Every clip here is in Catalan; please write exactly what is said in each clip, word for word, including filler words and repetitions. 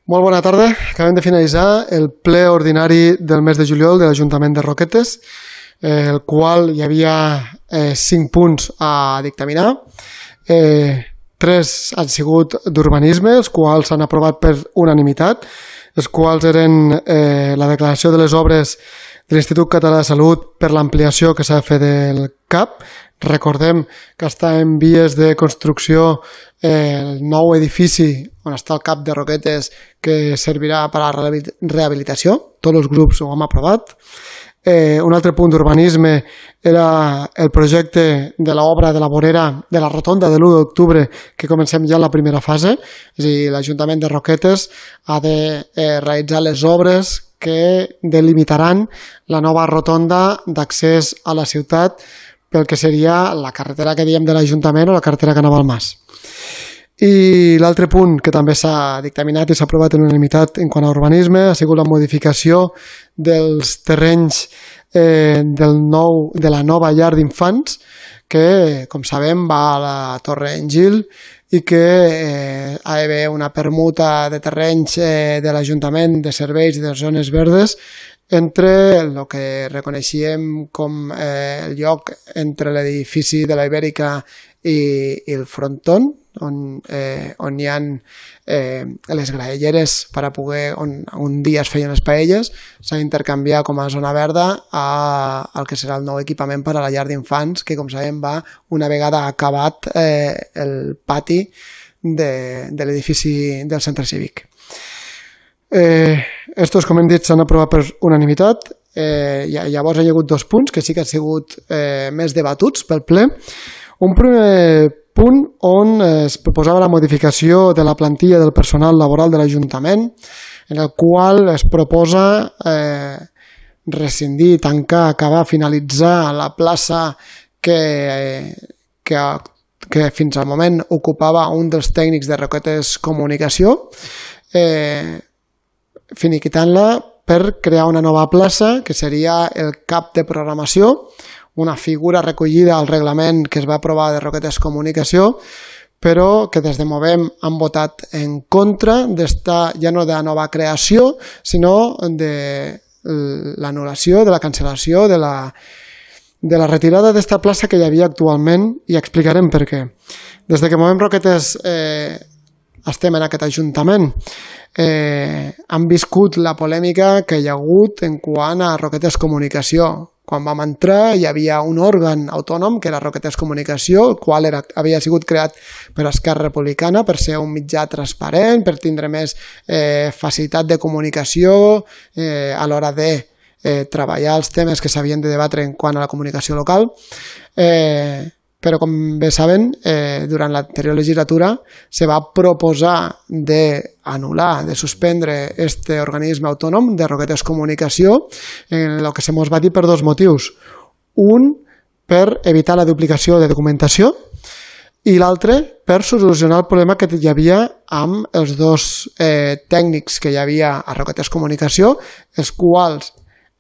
Molt bona tarda. Acabem de finalitzar el ple ordinari del mes de juliol de l'Ajuntament de Roquetes, eh, el qual hi havia eh, cinc punts a dictaminar. Eh, tres han sigut d'urbanisme, els quals s'han aprovat per unanimitat, els quals eren eh, la declaració de les obres de l'Institut Català de Salut per l'ampliació que s'ha de fer del C A P. Recordem que està en vies de construcció eh, el nou edifici on està el C A P de Roquetes, que servirà per a la rehabilitació. Tots els grups ho hem aprovat. Eh, un altre punt d'urbanisme era el projecte de l'obra de la vorera de la rotonda de l'u d'octubre, que comencem ja en la primera fase. És a dir, l'Ajuntament de Roquetes ha de eh, realitzar les obres que delimitaran la nova rotonda d'accés a la ciutat pel que seria la carretera que diem de l'Ajuntament o la carretera que anava al Mas. I l'altre punt que també s'ha dictaminat i s'ha aprovat en unanimitat en quant a urbanisme ha sigut la modificació dels terrenys eh, del nou, de la nova llar d'infants, que, com sabem, va a la Torre Engil i que eh, ha d'haver una permuta de terrenys eh, de l'Ajuntament, de serveis i de zones verdes entre el que reconeixíem com eh, el lloc entre l'edifici de la Ibèrica i, i el fronton, on, eh, on hi ha eh, les graelleres per a poder, on un dia es feien les paelles, s'ha d'intercanviar com a zona verda a, al que serà el nou equipament per a la llar d'infants, que com sabem va una vegada acabat eh, el pati de, de l'edifici del centre cívic. Eh, estos, com hem dit, s'han aprovat per unanimitat. Eh, llavors hi ha hagut dos punts que sí que han sigut eh, més debatuts pel ple. Un primer punt on es proposava la modificació de la plantilla del personal laboral de l'Ajuntament, en el qual es proposa eh, rescindir, tancar, acabar, finalitzar la plaça que, que, que fins al moment ocupava un dels tècnics de Roquetes Comunicació, eh, finiquitant-la per crear una nova plaça que seria el cap de programació, una figura recollida al reglament que es va aprovar de Roquetes Comunicació, però que des de Movem han votat en contra d'esta, ja no de la nova creació, sinó de l'anul·lació, de la cancel·lació, de la, de la retirada d'esta plaça que hi havia actualment, i explicarem per què. Des de que Movem Roquetes eh, estem en aquest Ajuntament, eh, han viscut la polèmica que hi ha hagut en quant a Roquetes Comunicació. Quan vam entrar hi havia un òrgan autònom que era Roquetes Comunicació, el qual era, havia sigut creat per Esquerra Republicana per ser un mitjà transparent, per tindre més eh, facilitat de comunicació eh, a l'hora de eh, treballar els temes que s'havien de debatre en quant a la comunicació local. Eh, però com bé saben, eh, durant l'anterior legislatura se va proposar d'anul·lar, de suspendre este organisme autònom de Roquetes Comunicació, en el que se mos va dir per dos motius. Un, per evitar la duplicació de documentació, i l'altre, per solucionar el problema que hi havia amb els dos eh, tècnics que hi havia a Roquetes Comunicació, els quals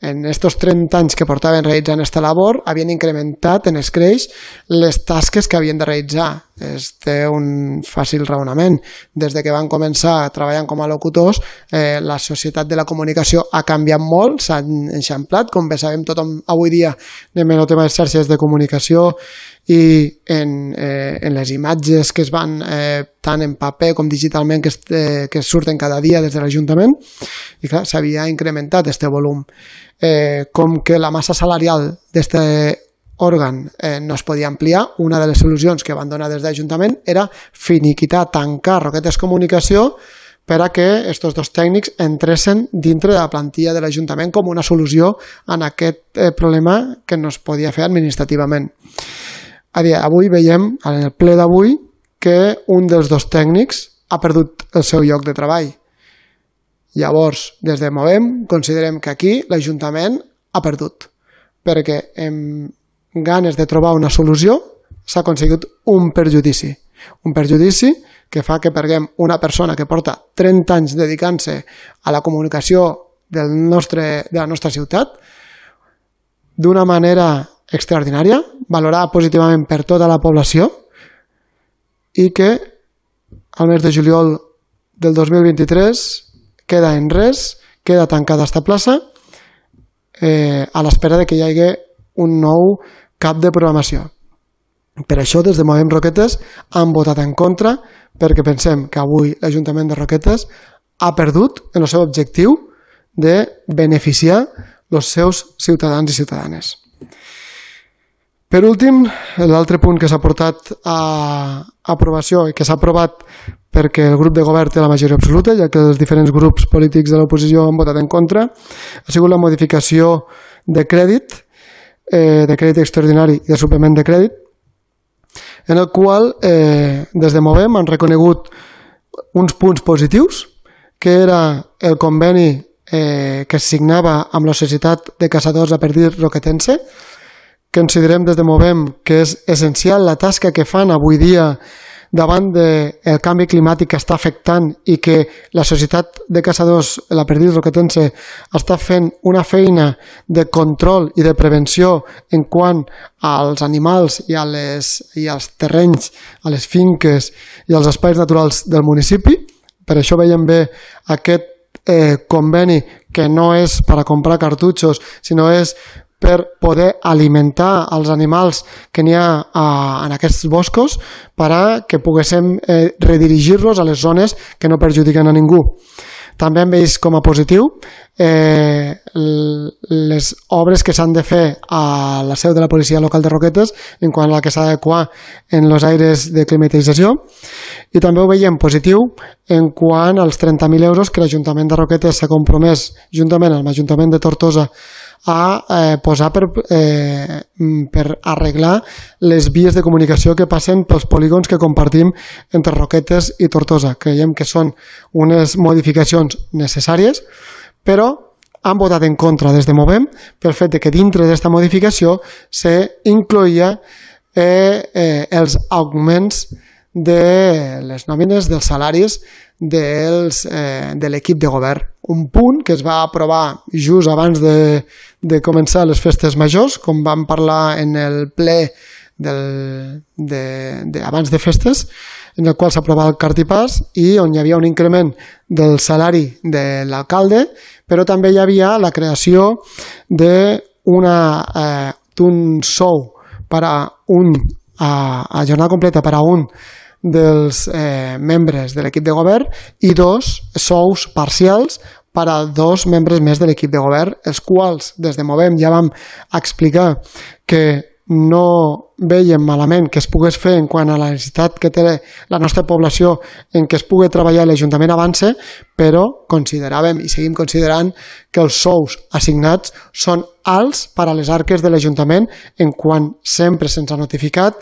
en aquests trenta anys que portaven realitzant aquesta labor, havien incrementat en escreix les tasques que havien de realitzar. És un fàcil raonament. Des de que van començar treballant com a locutors, eh, la societat de la comunicació ha canviat molt, s'ha enxamplat, com bé sabem tothom avui dia anem en el tema de xarxes de comunicació i en, eh, en les imatges que es van eh, tant en paper com digitalment que, es, eh, que surten cada dia des de l'Ajuntament, i clar, s'havia incrementat aquest volum. Eh, com que la massa salarial d'aquest òrgan eh, no es podia ampliar, una de les solucions que van donar des de l'Ajuntament era finiquitar, tancar Roquetes Comunicació per a que aquests dos tècnics entressin dintre de la plantilla de l'Ajuntament com una solució en aquest eh, problema que no es podia fer administrativament. A dia d'avui veiem, en el ple d'avui, que un dels dos tècnics ha perdut el seu lloc de treball. Llavors, des de Movem, considerem que aquí l'Ajuntament ha perdut, perquè amb ganes de trobar una solució s'ha aconseguit un perjudici. Un perjudici que fa que perguem una persona que porta trenta anys dedicant-se a la comunicació del nostre, de la nostra ciutat d'una manera extraordinària, valorada positivament per tota la població, i que al mes de juliol del dos mil vint-i-tres queda en res, queda tancada esta plaça eh, a l'espera de que hi hagi un nou cap de programació. Per això, des de Movem Roquetes han votat en contra, perquè pensem que avui l'Ajuntament de Roquetes ha perdut en el seu objectiu de beneficiar els seus ciutadans i ciutadanes. Per últim, l'altre punt que s'ha portat a aprovació i que s'ha aprovat perquè el grup de govern té la majoria absoluta, ja que els diferents grups polítics de l'oposició han votat en contra, ha sigut la modificació de crèdit, eh, de crèdit extraordinari i de suplement de crèdit, en el qual eh, des de Movem han reconegut uns punts positius, que era el conveni eh, que es signava amb la Societat de Caçadors a Perdiz Roquetense, que considerem des de Movem que és essencial la tasca que fan avui dia davant del canvi climàtic que està afectant i que la Societat de Caçadors, la Perdiz Roquetense, està fent una feina de control i de prevenció en quant als animals i, a les, i als terrenys, a les finques i als espais naturals del municipi. Per això veiem bé aquest eh, conveni que no és per a comprar cartutxos, sinó és per poder alimentar els animals que n'hi ha a, en aquests boscos per a que poguéssim eh, redirigir-los a les zones que no perjudiquen a ningú. També hem vist com a positiu eh, les obres que s'han de fer a la seu de la policia local de Roquetes en quant a la que s'ha d'adequar en els aires de climatització, i també ho veiem positiu en quant als trenta mil euros que l'Ajuntament de Roquetes s'ha compromès juntament amb l'Ajuntament de Tortosa a eh, posar per, eh, per arreglar les vies de comunicació que passen pels polígons que compartim entre Roquetes i Tortosa. Creiem que són unes modificacions necessàries, però han votat en contra des de Movem pel fet de que dintre d'aquesta modificació s'incloïa eh, eh, els augments de les nòmines, dels salaris dels, eh, de l'equip de govern. Un punt que es va aprovar just abans de, de començar les festes majors, com vam parlar en el ple del, de, de, abans de festes, en el qual s'aprovava el cartipàs i on hi havia un increment del salari de l'alcalde, però també hi havia la creació d'un eh, sou per a un a, a jornada completa per a un dels eh, membres de l'equip de govern i dos sous parcials per a dos membres més de l'equip de govern, els quals des de Movem ja vam explicar que no veiem malament que es pogués fer en quant a la necessitat que té la nostra població en què es pugui treballar l'Ajuntament avance, però consideràvem i seguim considerant que els sous assignats són alts per a les arques de l'Ajuntament en quant sempre se'ns ha notificat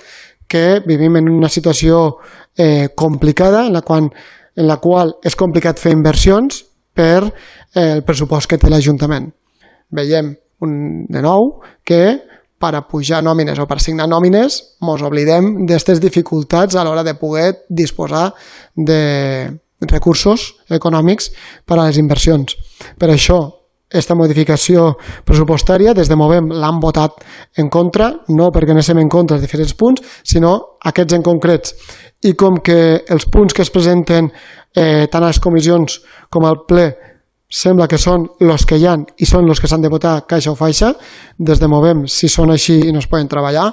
que vivim en una situació eh, complicada en la, qual, en la qual és complicat fer inversions per eh, el pressupost que té l'Ajuntament. Veiem un, de nou que per a pujar nòmines o per assignar nòmines ens oblidem d'aquestes dificultats a l'hora de poder disposar de recursos econòmics per a les inversions. Per això, aquesta modificació pressupostària des de Movem l'han votat en contra, no perquè anéssim en contra dels diferents punts, sinó aquests en concrets. I com que els punts que es presenten eh, tant a les comissions com al ple sembla que són els que hi ha i són els que s'han de votar caixa o faixa, des de Movem, si són així i no es poden treballar,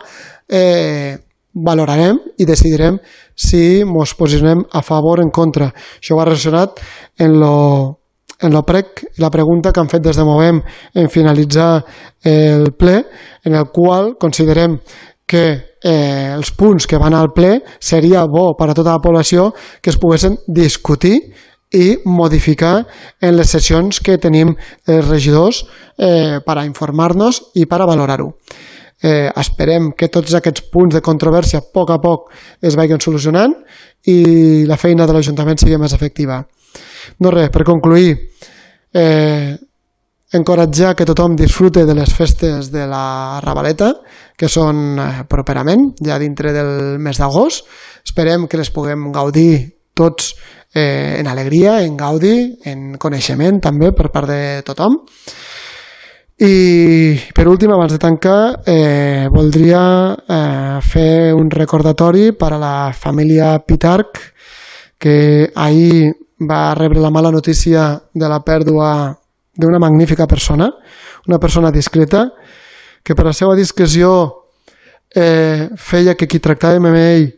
eh, valorarem i decidirem si ens posicionem a favor o en contra. Això va relacionat en lo en el prec, la pregunta que han fet des de Movem en finalitzar el ple, en el qual considerem que eh, els punts que van al ple seria bo per a tota la població que es poguessin discutir i modificar en les sessions que tenim els regidors eh, per a informar-nos i per a valorar-ho. Eh, esperem que tots aquests punts de controvèrsia a poc a poc es vagin solucionant i la feina de l'Ajuntament sigui més efectiva. No res, per concluir, eh, encoratjar que tothom disfrute de les festes de la Ravaleta, que són eh, properament, ja dintre del mes d'agost. Esperem que les puguem gaudir tots eh, en alegria, en gaudi, en coneixement també per part de tothom. I per últim, abans de tancar, eh, voldria eh, fer un recordatori per a la família Pitarch, que ahir va rebre la mala notícia de la pèrdua d'una magnífica persona, una persona discreta, que per la seva discreció eh, feia que qui tractàvem amb ell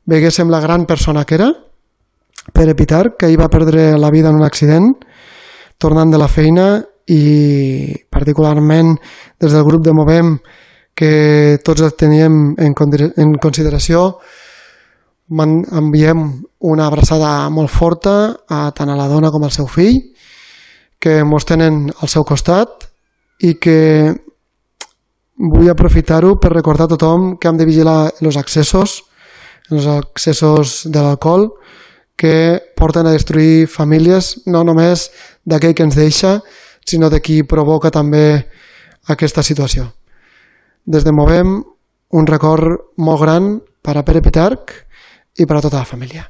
veguéssim la gran persona que era, Pere Pitarch, que ahir va perdre la vida en un accident, tornant de la feina, i particularment des del grup de Movem, que tots el teníem en, en consideració, enviem una abraçada molt forta a tant a la dona com al seu fill, que mos tenen al seu costat, i que vull aprofitar-ho per recordar a tothom que hem de vigilar els accessos, els accessos de l'alcohol, que porten a destruir famílies, no només d'aquell que ens deixa, sinó de qui provoca també aquesta situació. Des de Movem, un record molt gran per a Pere Pitarch i per a tota la família.